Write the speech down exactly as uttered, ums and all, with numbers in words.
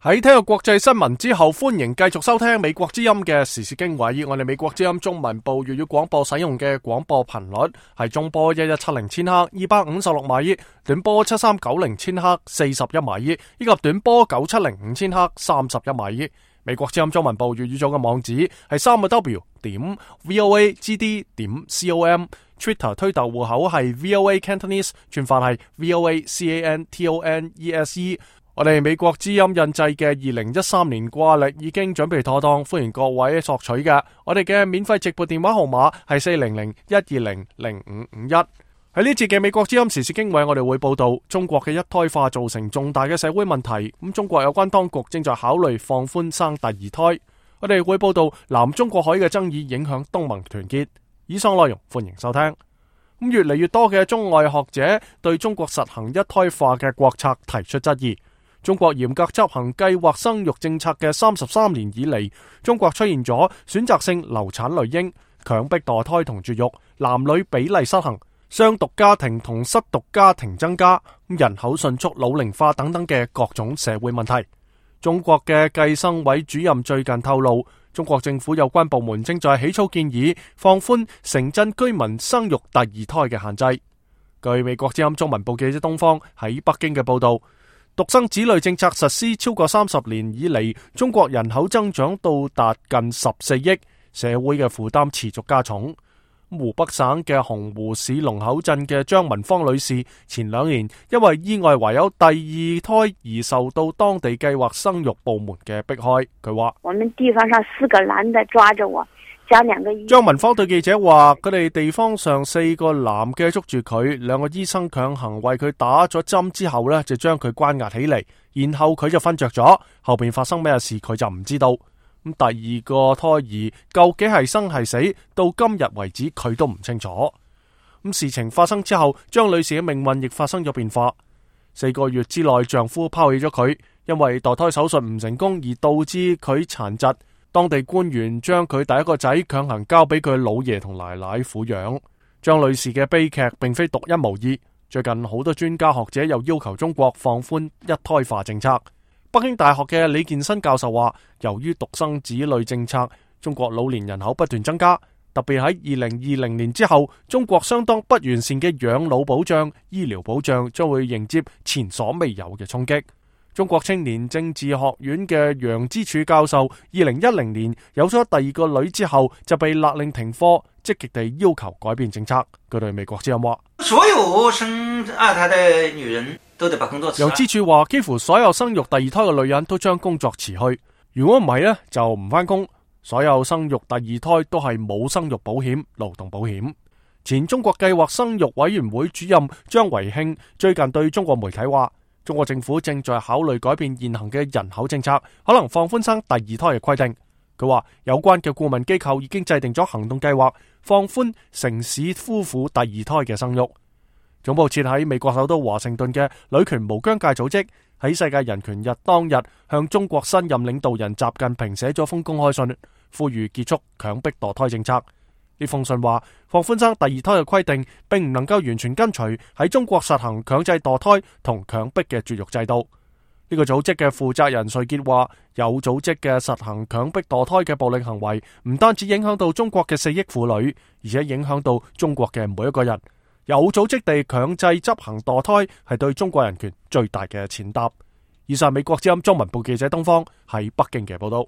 喺聽過國際新聞之後，歡迎繼續收聽美國之音嘅時事經緯。我哋美國之音中文部粵語廣播使用嘅廣播頻率係中波一一七零千克二百五十六米，短波七三九零千克四十一米，以及短波九七零五千克三十一米。美國之音中文部粵語組嘅網址係三個 W 點 voagd 點 com，Twitter 推特戶口係 V O A Cantonese， 串法係 V O A C A N T O N E S E。我哋美國之音印製嘅二零一三年掛曆已經準備妥當，歡迎各位索取嘅。我哋嘅免費直撥電話號碼係四零零一二零零五五一。喺呢節嘅美國之音時事經緯，我哋會報道中國嘅一胎化造成重大嘅社會問題。咁中國有關當局正在考慮放寬生第二胎。我哋會報道南中國海嘅爭議影響東盟團結。以上內容歡迎收聽。咁越嚟越多嘅中外學者對中國實行一胎化嘅國策提出質疑。中國嚴格執行計劃生育政策嘅三十三年以嚟，中國出現咗選擇性流產類嬰、強迫墮胎同絕育、男女比例失衡、雙獨家庭同失獨家庭增加、人口迅速老齡化等等嘅各種社會問題。中國嘅計生委主任最近透露，中國政府有關部門正在起草建議，放寬城鎮居民生育第二胎嘅限制。據美國之音中文部記者東方喺北京嘅報道，獨生子女政策實施超過三十年以嚟，中國人口增長到達近十四億，社會嘅負擔持續加重。湖北省嘅洪湖市龍口鎮嘅張文芳女士，前兩年因為意外懷有第二胎而受到當地計劃生育部門嘅迫害。佢話：我們地方上四個男的抓着我。張文芳對記者話：佢哋地方上四個男嘅捉住佢，兩個醫生強行為佢打咗針之後呢，就將佢關押起嚟，然後佢就瞓着咗，後邊發生咩事佢就唔知道。咁第二個胎兒究竟係生係死，到今日為止佢都唔清楚。咁事情發生之後，張女士嘅命運亦發生咗變化。四個月之內，丈夫拋棄咗佢，因為墮胎手術唔成功而導致佢殘疾。當地官員將佢第一個仔強行交俾佢老爺同奶奶撫養。張女士嘅悲劇並非獨一無二，最近好多專家學者又要求中國放寬一胎化政策。北京大學嘅李建新教授話，由於獨生子女政策，中國老年人口不斷增加，特別喺二零二零年之後，中國相當不完善嘅養老保障、醫療保障將會迎接前所未有嘅衝擊。中國青年政治學院嘅楊之柱教授，二零一零年有咗第二個女之後，就被勒令停課，積極地要求改變政策。佢對美國之音話：所有生二胎的女人都得把工作辭。楊之柱話：幾乎所有生育第二胎嘅女人都將工作辭去，如果唔係呢，就唔返工。所有生育第二胎都係冇生育保險、勞動保險。前中國計劃生育委員會主任張維慶最近對中國媒體話：中國政府正在考慮改變現行嘅人口政策，可能放寬生第二胎嘅規定。佢話有關嘅顧問機構已經制定咗行動計劃，放寬城市夫婦第二胎嘅生育。總部設喺美國首都華盛頓嘅女權無疆界組織喺世界人權日當日向中國新任領導人習近平寫咗封公開信，呼籲結束強迫墮胎政策。呢封信話，放寬生第二胎嘅規定並唔能夠完全跟隨喺中國實行強制墮胎同強迫嘅絕育制度。呢個組織嘅負責人瑞傑話，有組織嘅實行強迫墮胎嘅暴力行為，唔單止影響到中國嘅四億婦女，而且影響到中國嘅每一個人。有組織地強制執行墮胎，係對中國人權最大嘅踐踏。以上美國之音中文部記者東方喺北京嘅報道。